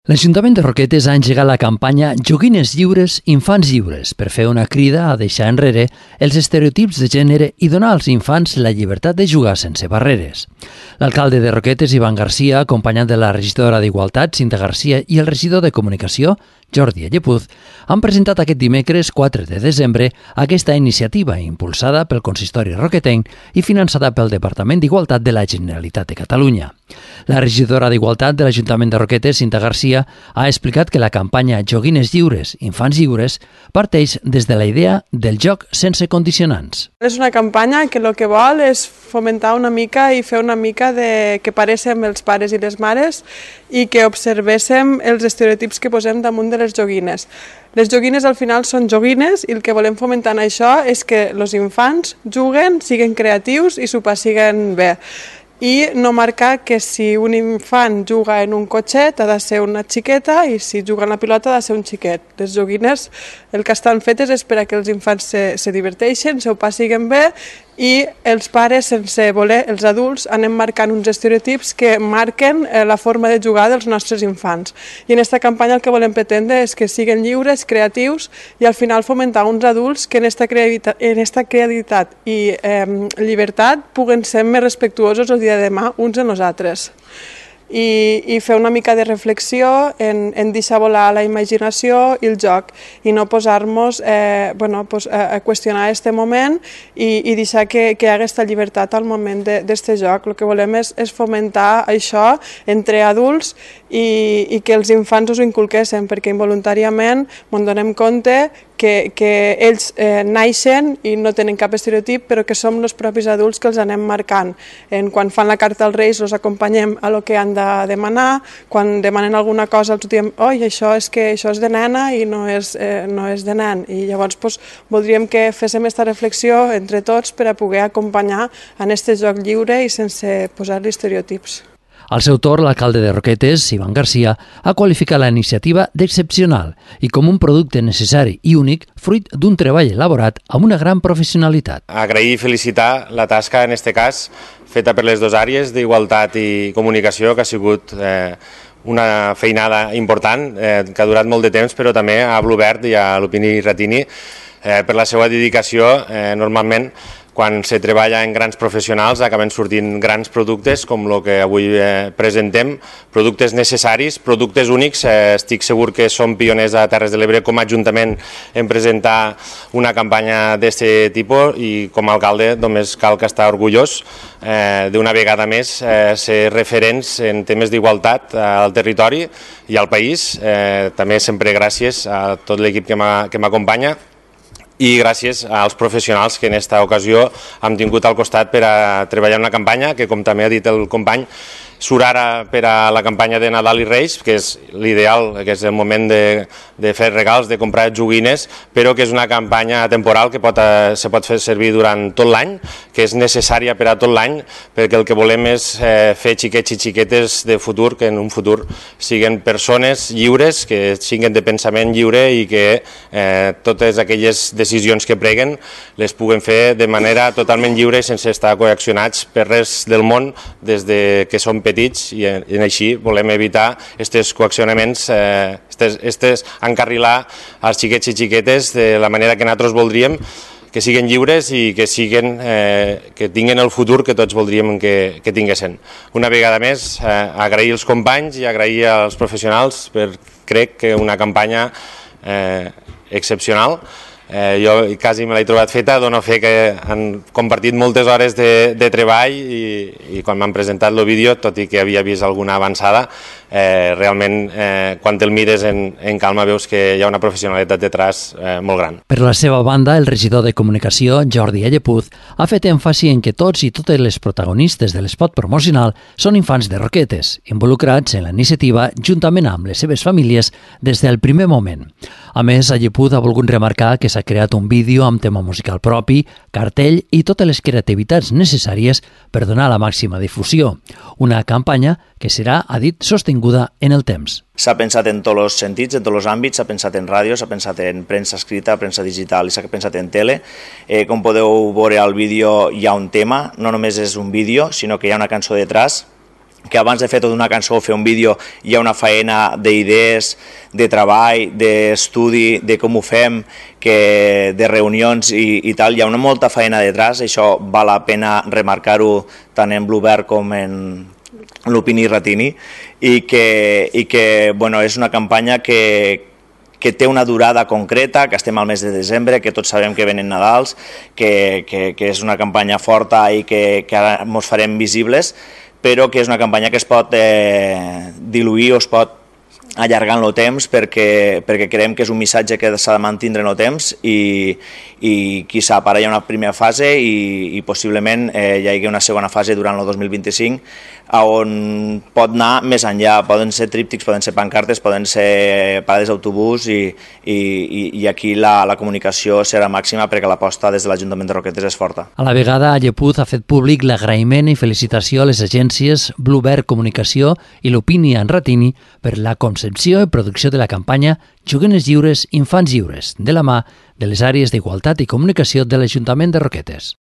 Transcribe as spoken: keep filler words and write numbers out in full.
L'Ajuntament de Roquetes ha engegat la campanya Joguines lliures, infants lliures per fer una crida a deixar enrere els estereotips de gènere i donar als infants la llibertat de jugar sense barreres. L'alcalde de Roquetes, Ivan Garcia, acompanyat de la regidora d'Igualtat, Cinta Garcia, i el regidor de Comunicació, Jordi Allepuz, han presentat aquest dimecres quatre de desembre aquesta iniciativa impulsada pel Consistori Roquetenc i finançada pel Departament d'Igualtat de la Generalitat de Catalunya. La regidora d'Igualtat de l'Ajuntament de Roquetes, Cinta Garcia, ha explicat que la campanya Joguines lliures, infants lliures parteix des de la idea del joc sense condicionants. És una campanya que el que vol és fomentar una mica i fer una mica de que paréssim els pares i les mares i que observéssim els estereotips que posem damunt de les joguines. Les joguines al final són joguines i el que volem fomentar en això és que els infants juguen, siguin creatius i s'ho passiguen bé. I no marcar que si un infant juga en un cotxet ha de ser una xiqueta i si juga en la pilota ha de ser un xiquet. Les joguines el que estan fetes és per a que els infants se, se diverteixen, se ho passiguen bé i els pares, sense voler, els adults, anem marcant uns estereotips que marquen la forma de jugar dels nostres infants. I en aquesta campanya el que volem pretendre és que siguin lliures, creatius i al final fomentar uns adults que en aquesta creativitat, en esta creativitat i eh, llibertat puguen ser més respectuosos el dia de demà uns en els altres. I, i fer una mica de reflexió en, en deixar volar la imaginació i el joc i no posar-nos eh, bueno, pues, a, a qüestionar aquest moment i, i deixar que, que hi hagi aquesta llibertat al moment d'aquest joc. El que volem és, és fomentar això entre adults i, i que els infants us ho inculquessin, perquè involuntàriament ens donem compte que, que ells eh, naixen i no tenen cap estereotip, però que som els propis adults que els anem marcant. En, quan fan la carta als Reis els acompanyem a lo que han de demanar, quan demanen alguna cosa els diem oi, això és que això és de nena i no és, eh, no és de nen. I llavors pues, voldríem que féssim aquesta reflexió entre tots per a poder acompanyar en aquest joc lliure i sense posar-li estereotips. Al seu torn, l'alcalde de Roquetes, Ivan Garcia, ha qualificat la iniciativa d'excepcional i com un producte necessari i únic fruit d'un treball elaborat amb una gran professionalitat. Agrair i felicitar la tasca, en aquest cas, feta per les dues àrees d'Igualtat i Comunicació, que ha sigut eh, una feinada important, eh, que ha durat molt de temps, però també a Bluvert i a l'Opini Ratini eh, per la seva dedicació. Eh, normalment, quan se treballa en grans professionals acaben sortint grans productes com el que avui eh, presentem, productes necessaris, productes únics. Eh, estic segur que som pioners a Terres de l'Ebre com a Ajuntament en presentar una campanya d'aquest tipus i com a alcalde només cal que estar orgullós eh, d'una vegada més eh, ser referents en temes d'igualtat al territori i al país. Eh, també sempre gràcies a tot l'equip que m'acompanya i gràcies als professionals que en aquesta ocasió hem tingut al costat per a treballar una campanya que, com també ha dit el company, surt ara per a la campanya de Nadal i Reis, que és l'ideal, que és el moment de, de fer regals, de comprar joguines, però que és una campanya temporal que pot, se pot fer servir durant tot l'any, que és necessària per a tot l'any, perquè el que volem és eh, fer xiquets i xiquetes de futur, que en un futur siguin persones lliures, que siguin de pensament lliure i que eh, totes aquelles decisions que preguen les puguen fer de manera totalment lliure i sense estar coaccionats per res del món des de que som petits i, i així volem evitar aquests coaccionaments, eh, estes, estes encarrilar als xiquets i xiquetes de la manera que nosaltres voldríem, que siguin lliures i que, siguin, eh, que tinguin el futur que tots voldríem que, que tinguessin. Una vegada més, eh, agrair als companys i agrair als professionals per, crec que una campanya eh, excepcional. Eh, jo quasi me l'he trobat feta, dono fe que han compartit moltes hores de, de treball i, i quan m'han presentat el vídeo, tot i que havia vist alguna avançada, eh, realment eh, quan te'l mires en, en calma veus que hi ha una professionalitat detrás eh, molt gran. Per la seva banda, el regidor de Comunicació, Jordi Allepuz, ha fet èmfasi en que tots i totes les protagonistes de l'espot promocional són infants de Roquetes, involucrats en la iniciativa juntament amb les seves famílies des del primer moment. A més, Allepuz ha volgut remarcar que s'ha creat un vídeo amb tema musical propi, cartell i totes les creativitats necessàries per donar la màxima difusió. Una campanya que serà, ha dit, sostinguda en el temps. S'ha pensat en tots els sentits, en tots els àmbits, s'ha pensat en ràdio, s'ha pensat en premsa escrita, premsa digital i s'ha pensat en tele. Eh, com podeu veure al vídeo hi ha un tema, no només és un vídeo, sinó que hi ha una cançó detrás que abans de fer tota una cançó o fer un vídeo hi ha una feina d'idees, de treball, d'estudi, de com ho fem, que de reunions i, i tal, hi ha una molta feina detrás, això val la pena remarcar-ho tant en Bluebird com en Lupini i Ratini, i que, i que bueno, és una campanya que, que té una durada concreta, que estem al mes de desembre, que tots sabem que venen Nadals, que, que, que és una campanya forta i que, que ara ens farem visibles, però que és una campanya que es pot eh, diluir o es pot allargar en el temps perquè, perquè creiem que és un missatge que s'ha de mantenir en el temps i, i qui sap, ara hi ha una primera fase i, i possiblement eh, hi hagi una segona fase durant el dos mil vint-i-cinc on pot anar més enllà, poden ser tríptics, poden ser pancartes, poden ser parades d'autobús i, i, i aquí la, la comunicació serà màxima perquè l'aposta des de l'Ajuntament de Roquetes és forta. A la vegada, Llepuz ha fet públic l'agraïment i felicitació a les agències Bluebird Comunicació i Lupini en Ratini per la concepció i producció de la campanya Joguines Lliures, Infants Lliures, de la mà de les àrees d'Igualtat i Comunicació de l'Ajuntament de Roquetes.